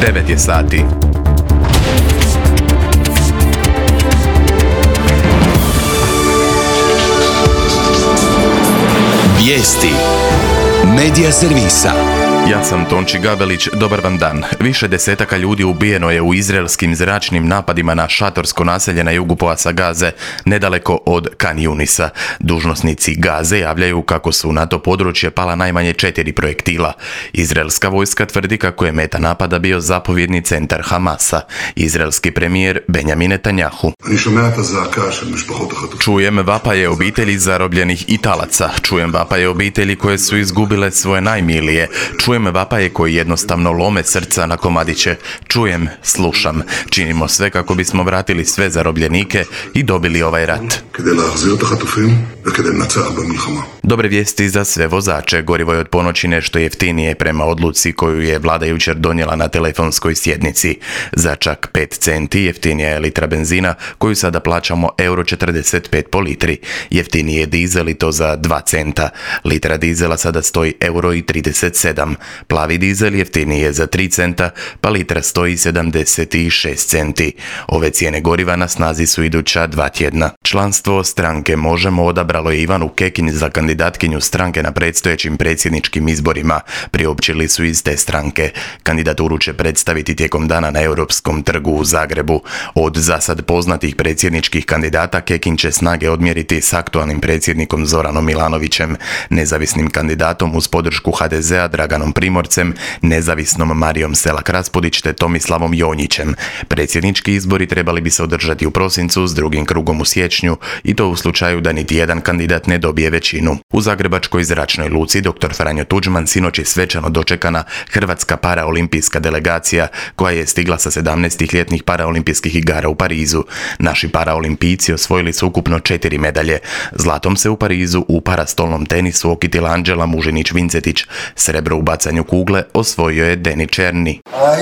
9 je sati. Vijesti Medija servisa. Ja sam Tonči Gabelić, dobar vam dan. Više desetaka ljudi ubijeno je u izraelskim zračnim napadima na šatorsko naselje na jugu pojasa Gaze, nedaleko od Kan Junisa. Dužnosnici Gaze javljaju kako su na to područje pala najmanje 4 projektila. Izraelska vojska tvrdi kako je meta napada bio zapovjedni centar Hamasa. Izraelski premijer Benjamin Netanjahu. Čujem vapaje obitelji zarobljenih i talaca. Čujem vapaje obitelji koje su izgubile svoje najmilije. Čujem vapaje koji jednostavno lome srca na komadiće. Čujem, slušam. Činimo sve kako bismo vratili sve zarobljenike i dobili ovaj rat. Dobre vijesti za sve vozače. Gorivo je od ponoći nešto jeftinije prema odluci koju je vlada jučer donijela na telefonskoj sjednici. Za čak 5 centi jeftinija je litra benzina koju sada plaćamo €45 po litri. Jeftiniji je dizel i to za 2 centa. Litra dizela sada stoji €37. Plavi dizel jeftiniji je za 3 centa, pa litra stoji 76 centi. Ove cijene goriva na snazi su iduća 2 tjedna. Članstvo stranke Možemo odabralo je Ivanu Kekin za kandidatkinju stranke na predstojećim predsjedničkim izborima, priopćili su iz te stranke. Kandidaturu će predstaviti tijekom dana na Europskom trgu u Zagrebu. Od zasad poznatih predsjedničkih kandidata Kekin će snage odmjeriti s aktualnim predsjednikom Zoranom Milanovićem, nezavisnim kandidatom uz podršku HDZ-a Draganom Primorcem, nezavisnom Marijom Selak-Raspudić te Tomislavom Jonjićem. Predsjednički izbori trebali bi se održati u prosincu s drugim krugom u siječnju i to u slučaju da niti jedan kandidat ne dobije većinu. U Zagrebačkoj zračnoj luci dr. Franjo Tuđman sinoć je svečano dočekana hrvatska paraolimpijska delegacija koja je stigla sa 17. ljetnih paraolimpijskih igara u Parizu. Naši paraolimpijci osvojili su ukupno 4 medalje. Zlatom se u Parizu u parastolnom tenisu okitila Anđela Mužinić-Vincetić. Srebro u bacanju kugle osvojio je Deni Černi.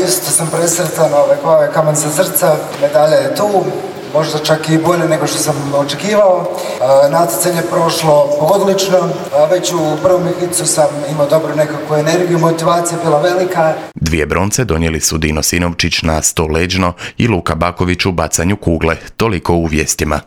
Isto sam presretan, kamen sa srca, medalja je tu. Možda čak i bolje nego što sam očekivao. Natjecanje je prošlo odlično. Već u prvom hitu sam imao dobru nekakvu energiju, motivacija je bila velika. 2 bronce donijeli su Dino Sinovčić na 100 leđno i Luka Baković u bacanju kugle. Toliko u vijestima.